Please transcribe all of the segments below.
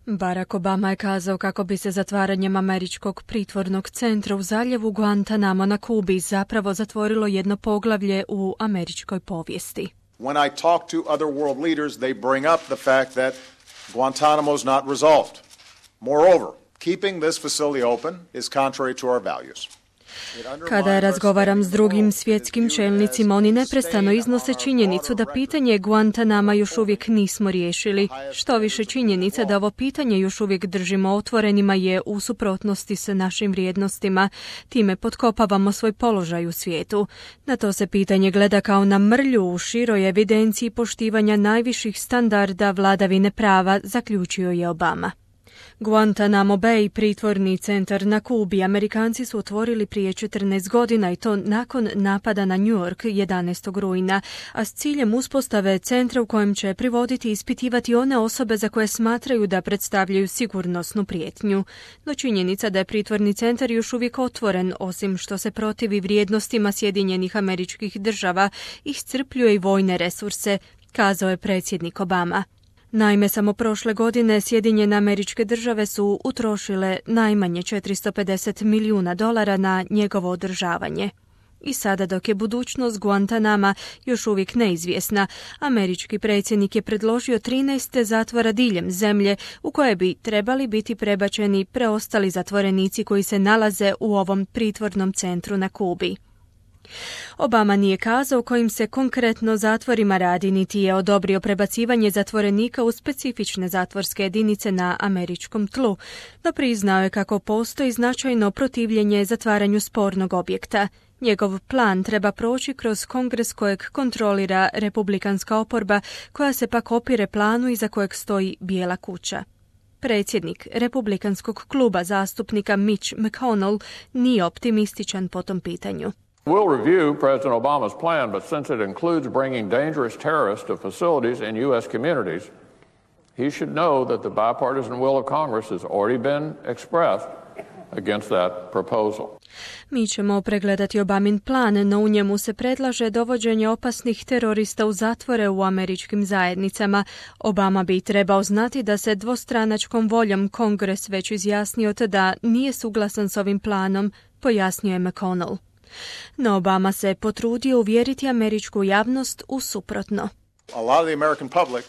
Barack Obama je kazao kako bi se zatvaranjem američkog pritvornog centra u zaljevu Guantanamo na Kubi zapravo zatvorilo jedno poglavlje u američkoj povijesti. When I talk to other world leaders, they bring up the fact that Guantanamo is not resolved. Moreover, keeping this facility open is contrary to our values. Kada razgovaram s drugim svjetskim čelnicima, oni neprestano iznose činjenicu da pitanje Guantanama još uvijek nismo riješili. Što više, činjenica da ovo pitanje još uvijek držimo otvorenima je u suprotnosti s našim vrijednostima. Time potkopavamo svoj položaj u svijetu. Na to se pitanje gleda kao na mrlju u široj evidenciji poštivanja najviših standarda vladavine prava, zaključio je Obama. Guantanamo Bay, pritvorni centar na Kubi, Amerikanci su otvorili prije 14 godina i to nakon napada na New York 11. rujna, a s ciljem uspostave centra u kojem će privoditi i ispitivati one osobe za koje smatraju da predstavljaju sigurnosnu prijetnju. No činjenica da je pritvorni centar još uvijek otvoren, osim što se protivi vrijednostima Sjedinjenih Američkih Država, iscrpljuje i vojne resurse, kazao je predsjednik Obama. Naime, samo prošle godine Sjedinjene Američke Države su utrošile najmanje $450 milijuna na njegovo održavanje. I sada, dok je budućnost Guantanama još uvijek neizvjesna, američki predsjednik je predložio 13 zatvora diljem zemlje u koje bi trebali biti prebačeni preostali zatvorenici koji se nalaze u ovom pritvornom centru na Kubi. Obama nije kazao kojim se konkretno zatvorima radi, niti je odobrio prebacivanje zatvorenika u specifične zatvorske jedinice na američkom tlu, no priznao je kako postoji značajno protivljenje zatvaranju spornog objekta. Njegov plan treba proći kroz kongres kojeg kontrolira republikanska oporba, koja se pak opire planu iza kojeg stoji Bijela kuća. Predsjednik republikanskog kluba zastupnika Mitch McConnell nije optimističan po tom pitanju. We'll review President Obama's plan, but since it includes bringing dangerous terrorists to facilities in U.S. communities, he should know that the bipartisan will of Congress has already been expressed against that proposal. Mi ćemo pregledati Obamin plan, no u njemu se predlaže dovođenje opasnih terorista u zatvore u američkim zajednicama. Obama bi trebao znati da se dvostranačkom voljom Kongres već izjasnio da nije suglasan s ovim planom, pojasnio je McConnell. No Obama se potrudio uvjeriti američku javnost u suprotno. A lot of the American public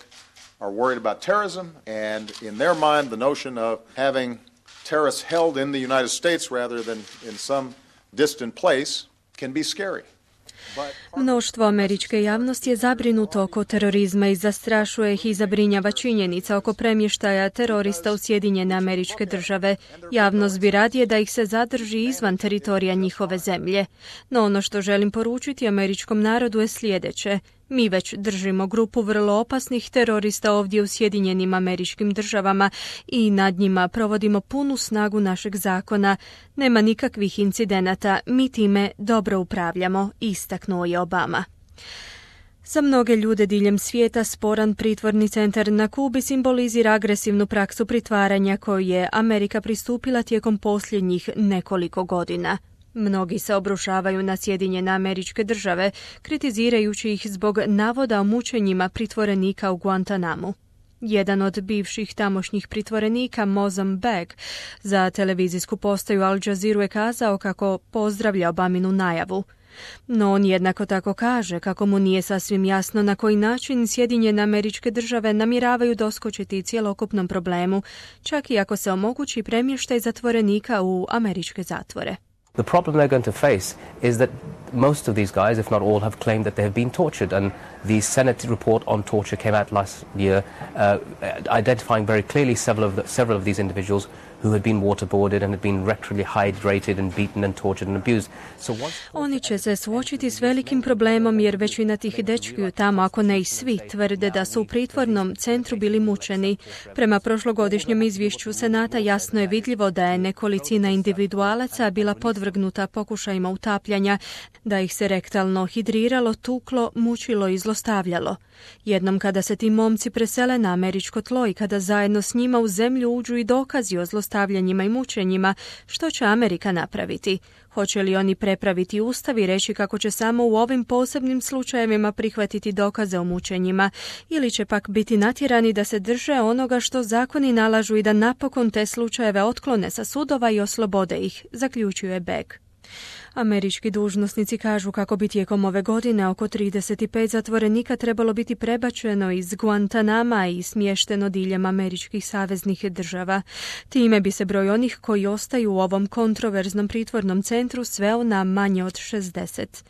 are worried about terrorism, and in their mind the notion of having terrorists held in the United States rather than in some distant place can be scary. Mnoštvo američke javnosti je zabrinuto oko terorizma i zastrašuje ih i zabrinjava činjenica oko premještaja terorista u Sjedinjene Američke Države. Javnost bi radije da ih se zadrži izvan teritorija njihove zemlje. No ono što želim poručiti američkom narodu je sljedeće. Mi već držimo grupu vrlo opasnih terorista ovdje u Sjedinjenim Američkim Državama i nad njima provodimo punu snagu našeg zakona. Nema nikakvih incidenata, mi time dobro upravljamo, istaknuo je Obama. Za mnoge ljude diljem svijeta sporan pritvorni centar na Kubi simbolizira agresivnu praksu pritvaranja koju je Amerika pristupila tijekom posljednjih nekoliko godina. Mnogi se obrušavaju na Sjedinjene Američke Države, kritizirajući ih zbog navoda o mučenjima pritvorenika u Guantanamu. Jedan od bivših tamošnjih pritvorenika, Mozam Beg, za televizijsku postaju Al Jazeera je kazao kako pozdravlja Obaminu najavu. No on jednako tako kaže kako mu nije sasvim jasno na koji način Sjedinjene Američke Države namjeravaju doskočiti cjelokupnom problemu, čak i ako se omogući premještaj zatvorenika u američke zatvore. The problem they're going to face is that most of these guys, if not all, have claimed that they have been tortured, and the Senate report on torture came out last year, identifying very clearly several of these individuals who had been waterboarded and had been rectally hydrated and beaten and tortured and abused. Oni će se suočiti s velikim problemom jer većina tih dečkiju tamo, ako ne i svi, tvrde da su u pritvornom centru bili mučeni. Prema prošlogodišnjem izvješću Senata jasno je vidljivo da je nekolicina individualaca bila podvrgnuta pokušajima utapljanja, da ih se rektalno hidriralo, tuklo, mučilo i zlostavljalo. Jednom kada se ti momci presele na američko tlo i kada zajedno s njima u zemlju uđu i dokazi o zlostavljanju zlostavljanjima i mučenjima, što će Amerika napraviti? Hoće li oni prepraviti ustav i reći kako će samo u ovim posebnim slučajevima prihvatiti dokaze o mučenjima, ili će pak biti natjerani da se drže onoga što zakoni nalažu i da napokon te slučajeve otklone sa sudova i oslobode ih, zaključuje Begg. Američki dužnosnici kažu kako bi tijekom ove godine oko 35 zatvorenika trebalo biti prebačeno iz Guantanama i smješteno diljem američkih saveznih država. Time bi se broj onih koji ostaju u ovom kontroverznom pritvornom centru sveo na manje od 60.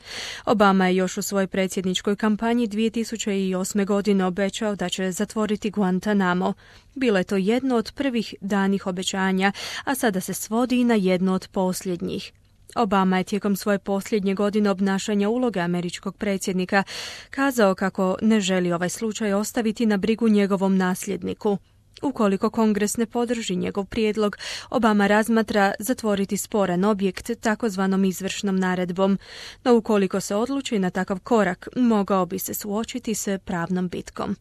Obama je još u svojoj predsjedničkoj kampanji 2008. godine obećao da će zatvoriti Guantanamo. Bilo je to jedno od prvih danih obećanja, a sada se svodi i na jedno od posljednjih. Obama je tijekom svoje posljednje godine obnašanja uloge američkog predsjednika kazao kako ne želi ovaj slučaj ostaviti na brigu njegovom nasljedniku. Ukoliko Kongres ne podrži njegov prijedlog, Obama razmatra zatvoriti sporan objekt takozvanom izvršnom naredbom, no ukoliko se odluči na takav korak, mogao bi se suočiti s pravnom bitkom.